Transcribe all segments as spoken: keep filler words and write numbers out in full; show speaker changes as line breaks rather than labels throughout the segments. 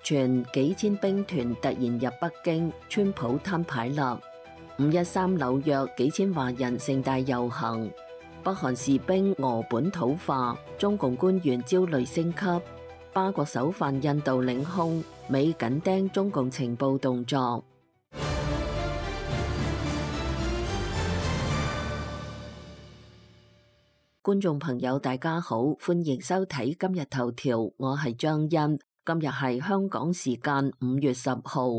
傳幾千兵團突然入北京，川普攤牌啦。五一三紐約幾千華人盛大遊行，北韓士兵俄本土化，中共官員焦慮升級。巴國首犯印度領空，美緊盯中共情報動作。觀眾朋友大家好，歡迎收睇今日頭條，我係張欣。今日係香港時間五月十號。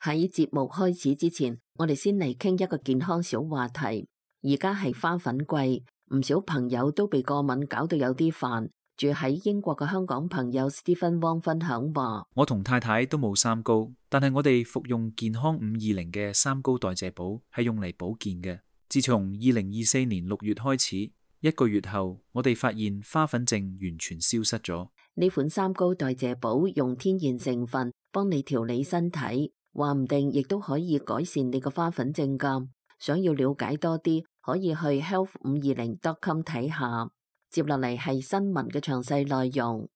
喺節目開始之前，我哋先嚟傾一個健康小話題。而家係花粉季，唔少朋友都被過敏搞到有啲煩。住喺英國嘅香港朋友 Stephen Wong 分享話：
我同太太都冇三高，但係我哋服用健康五二零嘅三高代謝寶係用嚟保健嘅。自從二零二四年六月開始，一個月後，我哋發現花粉症完全消失咗。
呢款三高代謝寶用天然成分幫你調理身體，話唔定亦都可以改善你個花粉症㗎。想要了解多啲，可以去 health 五二零 dot com 睇下。接落嚟係新聞嘅詳細內容。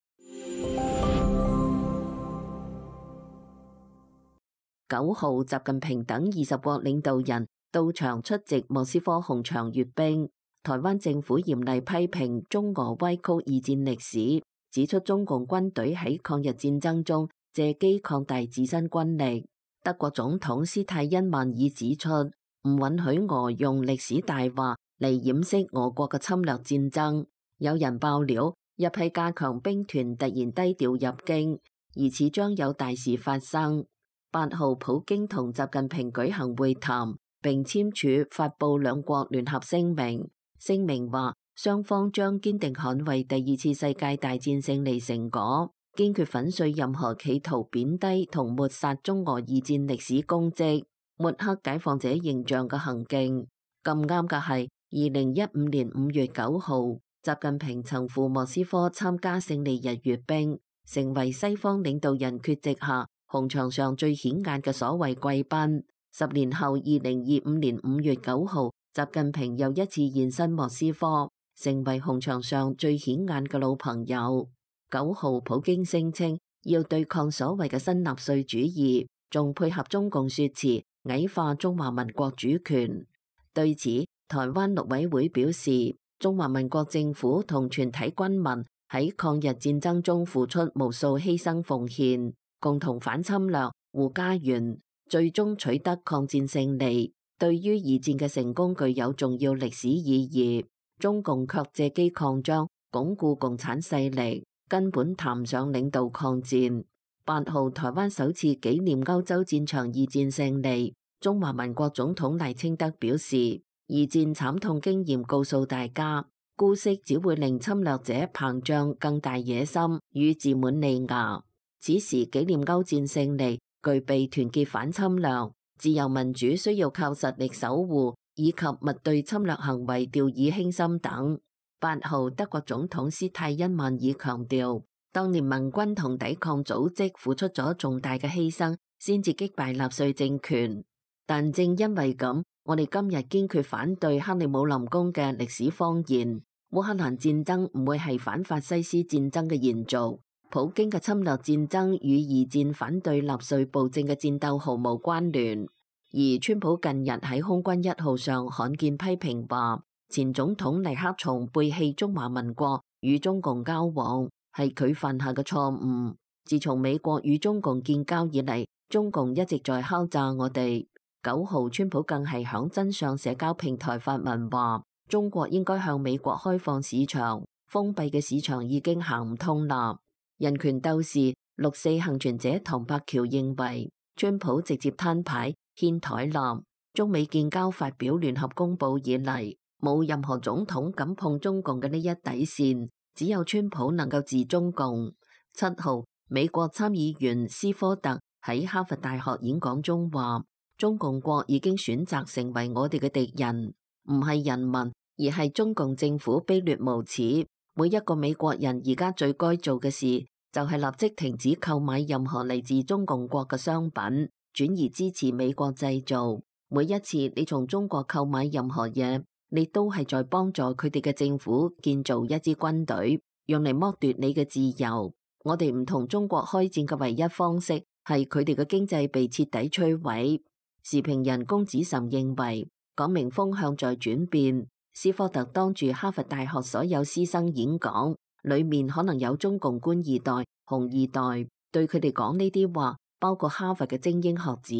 九號，習近平等二十國領導人到場出席莫斯科紅場閱兵。台灣政府嚴厲批評中俄歪曲二戰歷史，指出中共軍隊喺抗日戰爭中借機擴大自身軍力。德國總統施泰因曼爾指出，唔允許俄用歷史大話嚟掩飾俄國嘅侵略戰爭。有人爆料，一批加強兵團突然低調入京，疑似將有大事發生。八號，普京同習近平舉行會談，並簽署發布兩國聯合聲明。聲明話，雙方將堅定捍衛第二次世界大戰勝利成果，堅決粉碎任何企圖貶低同抹殺中俄二戰歷史功績、抹黑解放者形象嘅行徑。咁啱嘅係，二零一五年五月九號，習近平曾赴莫斯科參加勝利日閱兵，成為西方領導人缺席下紅場上最顯眼嘅所謂貴賓。十年後，二零二五年五月九號，習近平又一次現身莫斯科，成為紅場上最顯眼嘅老朋友。九號，普京聲稱要對抗所謂嘅新納粹主義，仲配合中共說辭矮化中華民國主權。對此，台灣陸委會表示，中華民國政府同全體軍民喺抗日戰爭中付出無數犧牲奉獻，共同反侵略、護家園，最終取得抗戰勝利，對於二戰嘅成功具有重要歷史意義。中共卻借機擴張，鞏固共產勢力，根本談唔上領導抗戰。八號，台灣首次紀念歐洲戰場二戰勝利，中華民國總統賴清德表示，二戰慘痛經驗告訴大家，姑息只會令侵略者膨脹更大野心與自滿利牙。此時紀念歐戰勝利，具備團結反侵略、自由民主需要靠實力守護，以及勿對侵略行為掉以輕心等。八號，德國總統施泰因曼爾強調，當年盟軍同抵抗組織付出咗重大嘅犧牲，先至擊敗納粹政權。但正因為咁，我哋今日堅決反對克里姆林宮嘅歷史謊言。烏克蘭戰爭唔會係反法西斯戰爭嘅延續。普京嘅侵略戰爭與二戰反對納粹暴政嘅戰鬥毫無關聯。而川普近日喺空軍一號上罕見批評話，前總統尼克松背棄中華民國與中共交往，係佢犯下嘅錯誤。自從美國與中共建交以嚟，中共一直在敲詐我哋。九號，川普更係響真相社交平台發文話，中國應該向美國開放市場，封閉嘅市場已經行唔通啦。人權鬥士六四幸存者唐伯橋認為，川普直接攤牌掀台啦。中美建交發表聯合公報以嚟，冇任何總統敢碰中共嘅呢一底線，只有川普能夠治中共。七號，美國參議員斯科特喺哈佛大學演講中話，中共國已經選擇成為我哋嘅敵人，唔係人民，而係中共政府卑劣無恥。每一個美國人而家最該做嘅事，就係立即停止購買任何嚟自中共國嘅商品，轉而支持美國製造。每一次你從中國購買任何嘢，你都係在幫助佢哋嘅政府建造一支軍隊，用嚟剝奪你嘅自由。我哋唔同中國開戰嘅唯一方式係佢哋嘅經濟被徹底摧毀。時評人龔子岑認為，講明風向在轉變。斯科特當住哈佛大學所有師生演講，裏面可能有中共官二代、紅二代，對佢哋講呢啲話，包括哈佛嘅精英學子，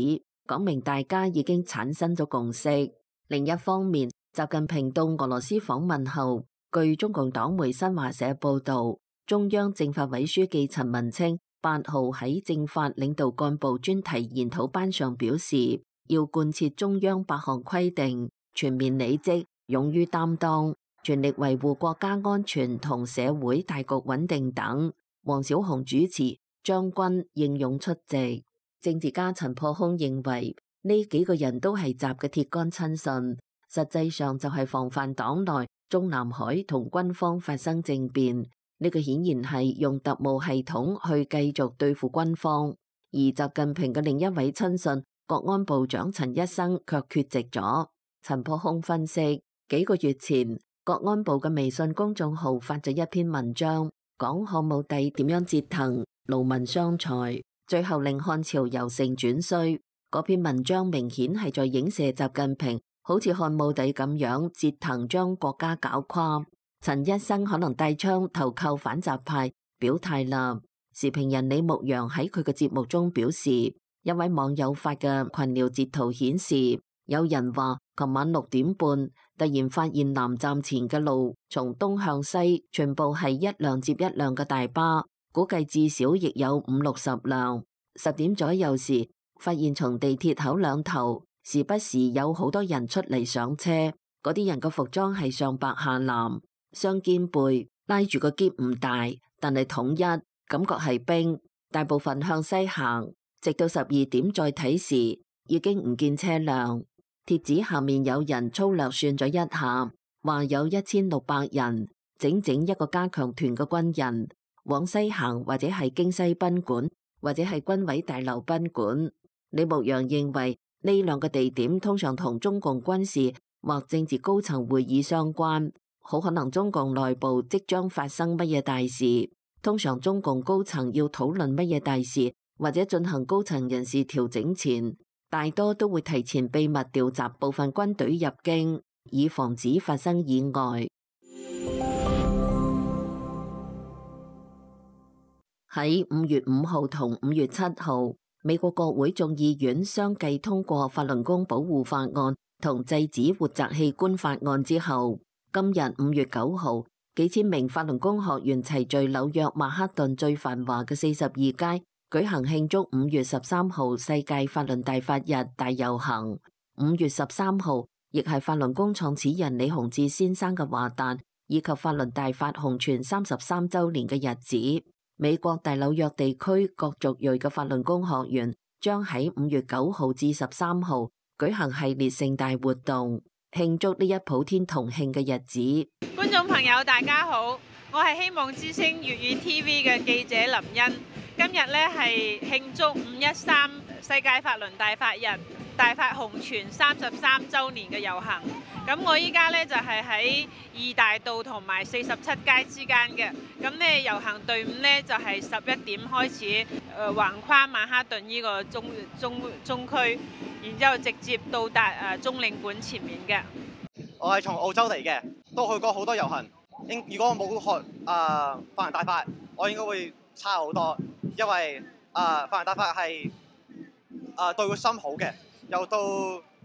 講明大家已經產生咗共識。另一方面，習近平到俄羅斯訪問後，據中共黨媒新華社報道，中央政法委書記陳文清八號喺政法領導幹部專題研討班上表示，要貫徹中央八項規定，全面履職，勇於擔當，全力維護國家安全同社會大局穩定等。王小洪主持，張軍應勇出席。政治家陳破空認為，呢幾個人都係習嘅鐵桿親信，實際上就係防範黨內中南海同軍方發生政變。呢個顯然係用特務系統去繼續對付軍方。而習近平嘅另一位親信國安部長陳一生卻缺席咗。陳破空分析，幾個月前國安部嘅微信公眾號發咗一篇文章，講漢武帝點樣折騰勞民傷財，最後令漢朝由盛轉衰。嗰篇文章明顯係在影射習近平好似漢武帝咁樣折騰將國家搞垮。陳一生可能帶槍投靠反習派，表態啦。時評人李牧陽喺佢嘅節目中表示，一位網友發嘅群聊截圖顯示，有人話琴晚六點半突然發現南站前嘅路從東向西全部係一輛接一輛嘅大巴，估計至少亦有五六十輛。十點左右時，發現從地鐵口兩頭時不時有好多人出嚟上車，嗰啲人嘅服裝係上白下藍，雙肩背，拉住個篋唔大，但係統一，感覺係兵。大部分向西行，直到十二點再睇時，已經唔見車輛。貼紙下面有人粗略算咗一下，話有一千六百人，整整一個加強團嘅軍人往西行，或者係京西賓館，或者係軍委大樓賓館。李牧陽認為呢兩個地點通常同中共軍事或政治高層會議相關，好可能中共內部即將發生乜嘢大事。通常中共高層要討論乜嘢大事或者進行高層人事調整前，大多都會提前秘密調集部分軍隊入京，以防止發生意外。喺五月五號同五月七號，美國國會眾議院相繼通過法輪功保護法案同制止活摘器官法案之後，今日五月九號，幾千名法輪功學員齊聚紐約曼克頓最繁華嘅四十二街，舉行慶祝五月十三號世界法輪大法日大遊行。五月十三號亦係法輪功創始人李洪志先生嘅華誕，以及法輪大法紅傳三十三週年嘅日子。美國大紐約地區各族裔嘅法輪功學員將喺五月九號至十三號舉行系列盛大活動，慶祝呢一普天同慶嘅日子。
觀眾朋友大家好，我係希望之聲粵語 T V 嘅記者林茵。今日呢係慶祝五一三世界法輪大法日大法紅傳三十三週年嘅遊行。咁我依家呢就係喺二大道同埋四十七街之間嘅。咁呢遊行隊伍呢就係十一點開始，誒、呃、橫跨曼哈頓呢個中中中區，然之後直接到達誒、呃、中領館前面嘅。
我係從澳洲嚟嘅，都去過好多遊行。應如果我冇學啊、呃、法輪大法，我應該會差好多，因為啊、呃、法輪大法係啊、呃、對個心好嘅，又到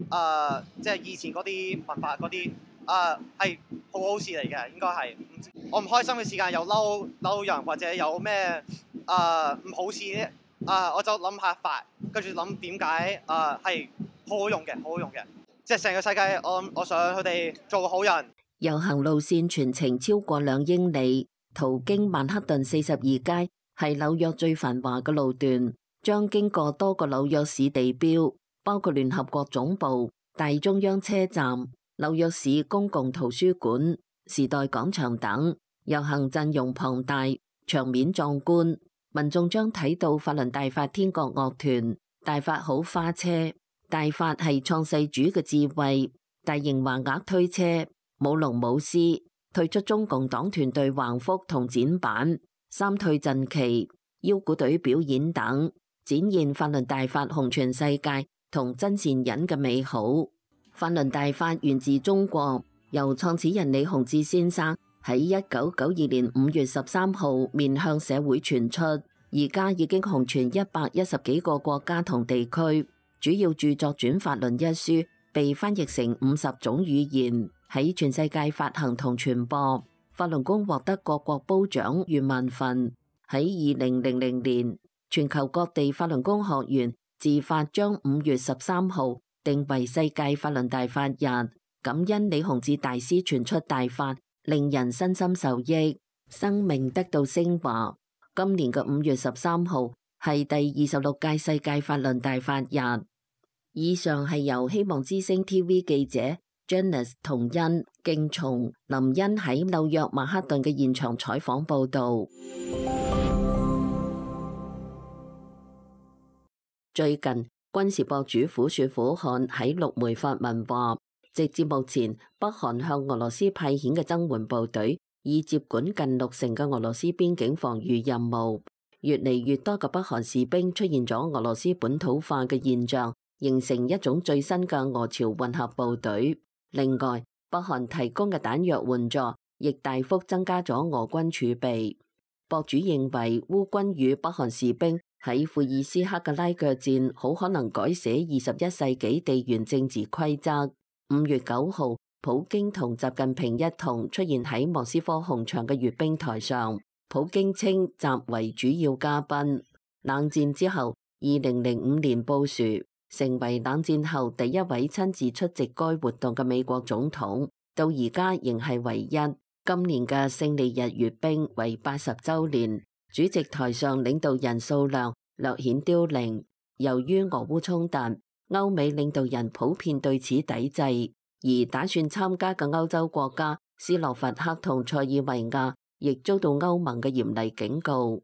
啊即係以前嗰啲文化嗰啲啊係好好事嚟嘅，應該係。我唔開心嘅時間有嬲嬲人或者有咩啊唔好事咧啊、呃，我就諗下法，跟住諗點解啊係好好用嘅，好好用嘅。即係成個世界，我我想佢哋做個好人。
遊行路線全程超過兩英里，途經曼克頓四十二街，係紐約最繁華嘅路段，將經過多個紐約市地標，包括聯合國總部、大中央車站、紐約市公共圖書館、時代廣場等。遊行陣容龐大，場面壯觀，民眾將睇到法輪大法天國樂團、大法好花車。大法係創世主嘅智慧，大型橫額推車，舞龍舞獅，退出中共黨團隊橫幅同展板，三退陣旗、腰鼓隊表演等，展現法輪大法紅傳世界同真善忍嘅美好。法輪大法源自中國，由創始人李洪志先生喺一九九二年五月十三號面向社會傳出，而家已經紅傳一百一十幾個國家同地區。主要著作《轉法輪》一書被翻譯成五十種語言，喺全世界發行同傳播。法輪功獲得各國褒獎逾萬份。喺二零零零年，全球各地法輪功學員自發將五月十三號定為世界法輪大法日，感恩李洪志大師傳出大法，令人身心受益，生命得到升華。今年嘅五月十三號係第二十六屆世界法輪大法日。以上係由希望之聲 T V 記者 Janice 同恩、敬松、林恩喺紐約曼克頓嘅現場採訪報導。最近，軍事博主虎說虎漢喺陸媒發文話，直至目前，北韓向俄羅斯派遣嘅增援部隊已接管近六成嘅俄羅斯邊境防禦任務。越嚟越多嘅北韓士兵出現咗俄羅斯本土化嘅現象，形成一種最新嘅俄朝混合部隊。另外，北韓提供嘅彈藥援助亦大幅增加咗俄軍儲備。博主認為，烏軍與北韓士兵喺庫爾斯克嘅拉鋸戰好可能改寫二十一世紀地緣政治規則。五月九號，普京同習近平一同出現喺莫斯科紅場嘅閱兵台上，普京稱習為主要嘉賓。冷戰之後，二零零五年布殊成為冷戰後第一位親自出席該活動嘅美國總統，到而家仍係唯一。今年嘅勝利日閱兵為八十週年，主席台上領導人數量略顯凋零。由於俄烏衝突，歐美領導人普遍對此抵制，而打算參加嘅歐洲國家斯洛伐克同塞爾維亞亦遭到歐盟嘅嚴厲警告。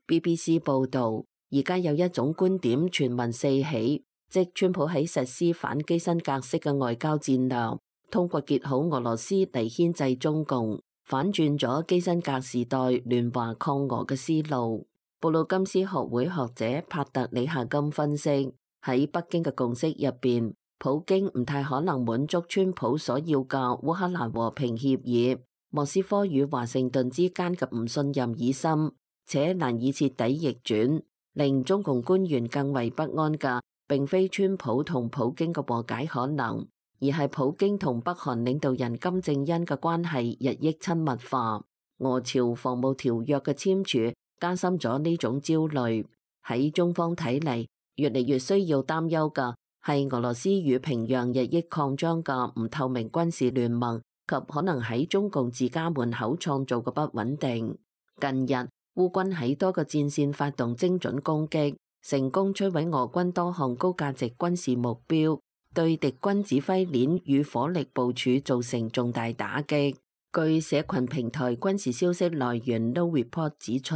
B B C 報導，而家有一種觀點傳聞四起，即川普喺實施反基辛格式嘅外交戰略，通過結好俄羅斯嚟牽制中共，反轉咗基辛格時代聯華抗俄嘅思路。布魯金斯學會學者帕特里夏金分析，喺北京嘅共識入邊，普京唔太可能滿足川普所要嘅烏克蘭和平協議。莫斯科與華盛頓之間嘅唔信任已深，且難以徹底逆轉。令中共官員更為不安嘅，並非川普同普京嘅和解可能，而係普京同北韓領導人金正恩嘅關係日益親密化。俄朝防務條約嘅簽署加深咗呢種焦慮。喺中方睇嚟，越嚟越需要擔憂嘅係俄羅斯與平壤日益擴張嘅唔透明軍事聯盟及可能喺中共自家門口創造嘅不穩定。近日，烏軍喺多個戰線發動精準攻擊，成功摧毀俄軍多項高價值軍事目標，對敵軍指揮鏈與火力部署造成重大打擊。據社群平台軍事消息來源 No Report 指出，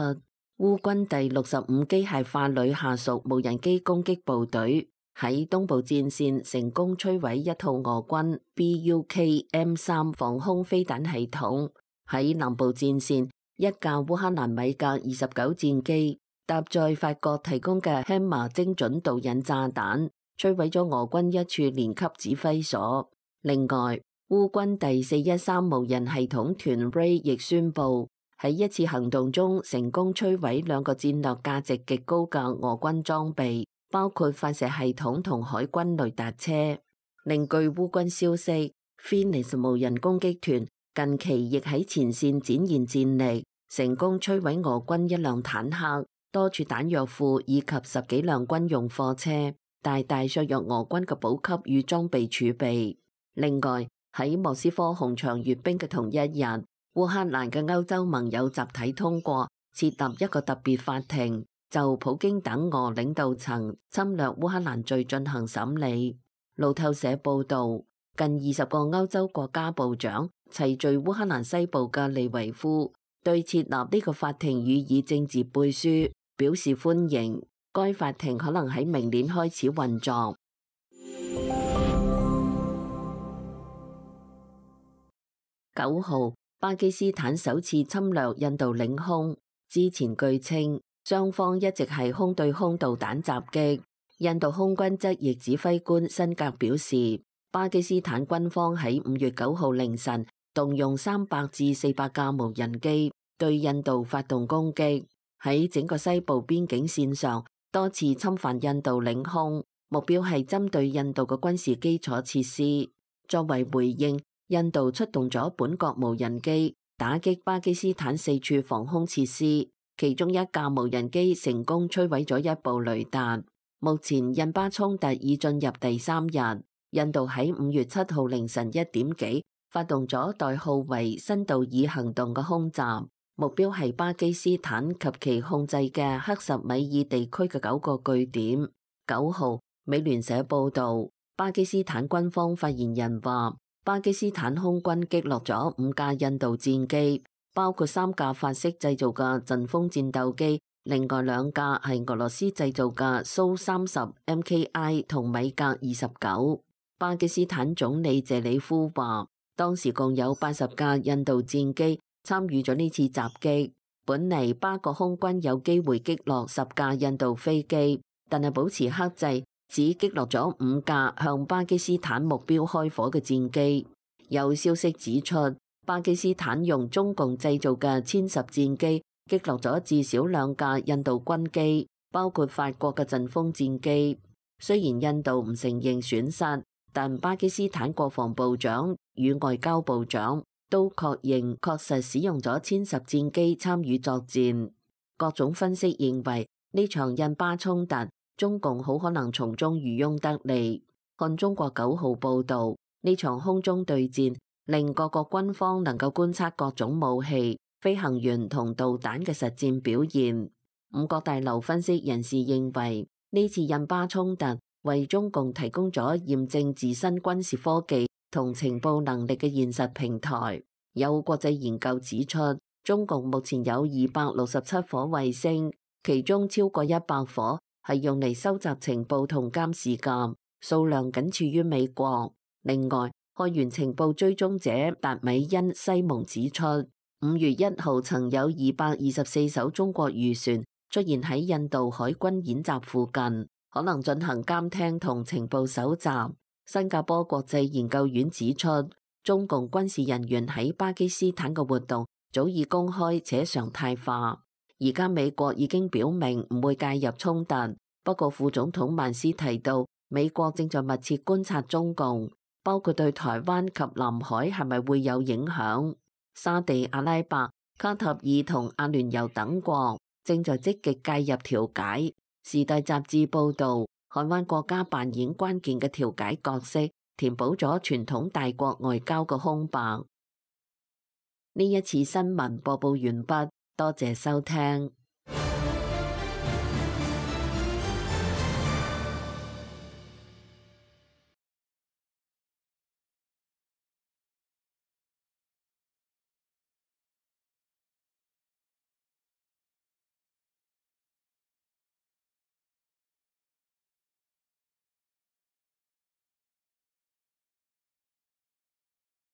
烏軍第六十五機械化旅下屬無人機攻擊部隊喺東部戰線成功摧毀一套俄軍 B U K M 三防空飛彈系統。喺南部戰線，一架烏克蘭米格二十九戰機搭載法國提供嘅 Hammer 精準導引炸彈，摧毀咗俄軍一處連級指揮所。另外，烏軍第四一三無人系統團 Ray 亦宣布喺一次行動中成功摧毀兩個戰略價值極高嘅俄軍裝備，包括發射系統同海軍雷達車。另據烏軍消息， Phoenix 無人攻擊團近期亦喺前線展現戰力，成功摧毀俄軍一輛坦克、多處彈藥庫以及十幾輛軍用貨車，大大削弱俄軍嘅補給與裝備儲備。另外，喺莫斯科紅場閱兵嘅同一日，烏克蘭嘅歐洲盟友集體通過設立一個特別法庭，就普京等俄領導層侵略烏克蘭罪進行審理。路透社報導，近二十個歐洲國家部長齊聚烏克蘭西部嘅利維夫，對設立呢個法庭予以政治背書，表示歡迎。該法庭可能喺明年開始運作。九號，巴基斯坦首次侵略印度領空，之前據稱，雙方一直係空對空導彈襲擊。印度空軍側翼指揮官辛格表示，巴基斯坦軍方喺五月九號凌晨動用三百至四百架無人機對印度發動攻擊，喺整個西部邊境線上多次侵犯印度領空，目標係針對印度嘅軍事基礎設施。作為回應，印度出動咗本國無人機打擊巴基斯坦四處防空設施，其中一架無人機成功摧毀咗一部雷達。目前印巴衝突已進入第三日，印度喺五月七號凌晨一點幾發動咗代號為新道爾行動嘅空襲，目標係巴基斯坦及其控制嘅克什米爾地區嘅九個據點。九號，美聯社報道，巴基斯坦軍方發言人話，巴基斯坦空軍擊落咗五架印度戰機，包括三架法式製造嘅陣風戰鬥機，另外兩架係俄羅斯製造嘅蘇三十 M K I 同米格二十九。巴基斯坦總理謝里夫話，當時共有八十架印度戰機參與咗呢次襲擊。本嚟巴國空軍有機會擊落十架印度飛機，但係保持克制，只擊落咗五架向巴基斯坦目標開火嘅戰機。有消息指出，巴基斯坦用中共製造嘅殲十戰機擊落咗至少兩架印度軍機，包括法國嘅陣風戰機。雖然印度唔承認損失，但巴基斯坦國防部長與外交部長都確認確實使用咗殲十戰機參與作戰。各種分析認為，呢場印巴衝突，中共好可能從中漁翁得利。看中國九號報導，呢場空中對戰令各國軍方能夠觀察各種武器、飛行員同導彈嘅實戰表現。五角大樓分析人士認為，呢次印巴衝突為中共提供咗驗證自身軍事科技同情報能力嘅現實平台。有國際研究指出，中共目前有二百六十七顆衛星，其中超過一百顆係用嚟收集情報同監視嘅，數量僅次於美國。另外，開源情報追蹤者達米恩西蒙指出，五月一號曾有二百二十四艘中國漁船出現喺印度海軍演習附近，可能進行監聽同情報搜集。新加坡國際研究院指出，中共軍事人員喺巴基斯坦嘅活動早已公開且常態化。而家美國已經表明唔會介入衝突，不過副總統曼斯提到，美國正在密切觀察中共，包括對台灣及南海係咪會有影響。沙地阿拉伯、卡塔爾同阿聯酋等國正在積極介入調解。時代雜誌報導，海灣國家扮演關鍵嘅調解角色，填補咗傳統大國外交嘅空白。呢一次新聞播報完畢，多謝收聽。